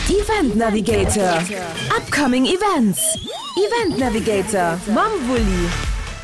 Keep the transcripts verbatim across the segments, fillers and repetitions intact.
Event Navigator, Upcoming Events. Event Navigator mam Wulli.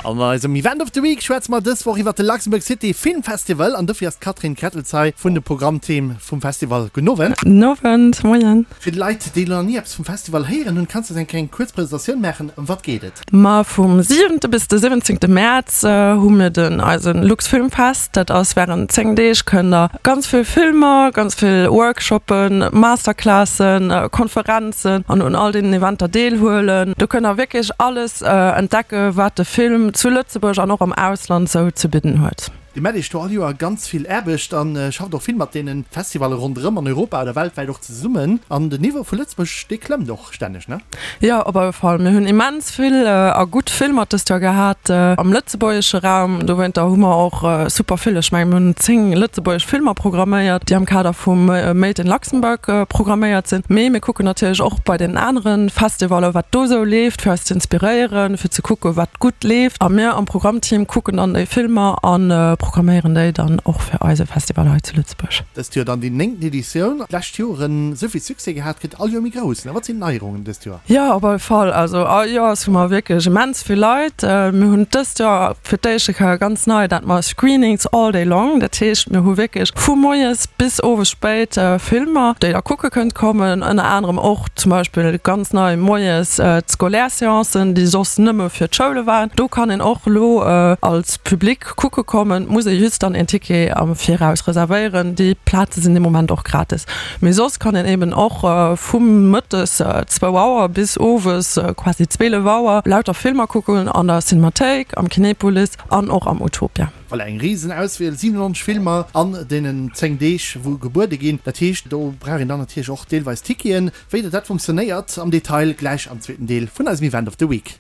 An eisem Event of the Week schwätze mer dës Woch iwwer de Luxembourg City Film Festival an dofir ass d'Catherine Krettels hei vun de Programmteam vum Festival. Gudden Owend. Gudden Owend, moien. Fir d'Leit, déi nach ni eppes vum Festival héieren hunn, kanns de eis eng kleng kuerz Presentatioun maachen? Ëm wat geet et? Ma vum siwente bis de siwwenzéngte Mäerz hu mir den eisen Luxfilmfest. Dat ass wärend zéng Deeg kënnt der ganz vill Filmer, ganz vill Workshoppen, Masterclassen, Konferenzen an un all deenen Eventer deelhuelen. Do kënnt der wierklech alles entdecke wat de Film zu Lëtzebuerg an och am Ausland sou ze bidden huet. Dir maacht iech do all Joer ganz vill Aarbecht a schafft och vill mat deene Festivalle ronderëm an Europa oder weltwäit och zesummen. An den Niveau vu Lëtzebuerg, dee klëmmt och stänneg, ne? Jo, op alle Fall. Mir hunn immens vill a gutt Filmer dëst Joer gehat am lëtzebuergesche Raum. Dowéinter hu mer och super vill, ech mengen, mir hunn zéng lëtzebuergesch Filmer programméiert, déi am Kader vum Made in Luxembourg programméiert sinn. Mee mir kucken natierlech och bei deenen anere Festivaller, wat do sou leeft, fir eis ze inspiréieren, fir ze kucken, wat gutt leeft. A mir am Programmteam kucken dann déi Filmer a programméieren déi dann och fir eise Festival hei zu Lëtzebuerg. Dëst Joer dann déi néngten Editioun. D'lescht Joren esou vill Succès gehat, gëtt all Joer méi grouss, ne? Wat sinn d'Neierungen dëst Joer? Jo, op alle Fall. Also all Joers hu mer wierklech immens vill Leit. Mir hunn dëst Joer fir d'éischte Kéier ganz nei dat mer Screenings all day long. Dat heescht, mir hu wierklech vu moies bis owes spéit Filmer, déi der kucke kënnt kommen. Ënner anerem och zum Beispill ganz nei moies d'Scolaire-Seancen, déi soss nëmme fir d'Schoule waren. Do kann een och elo als Public kucke kommen. Et muss ee just dann een Ticket am Viraus reservéieren. Déi Plaze sinn de Moment och gratis. Mee soss kann een eben och vu mëttes zwou Auer bis owes quasi zweelef Auer lauter Filmer kucken an der Cinemathéik, am Kinepolis an och am Utopia. Voilà, eng risen Auswiel, siwenennonzeg Filmer an deenen zéng Deeg wou gebuede ginn. Dat heescht, do brauch een dann natierlech och deelweis Ticketen. Wéi dat funktionéiert am Detail gläich am zweeten Deel vun eisem Event of the Week.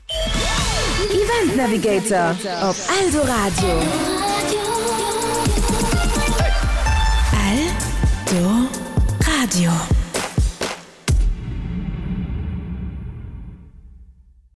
Event Navigator op Eldoradio. Eldoradio.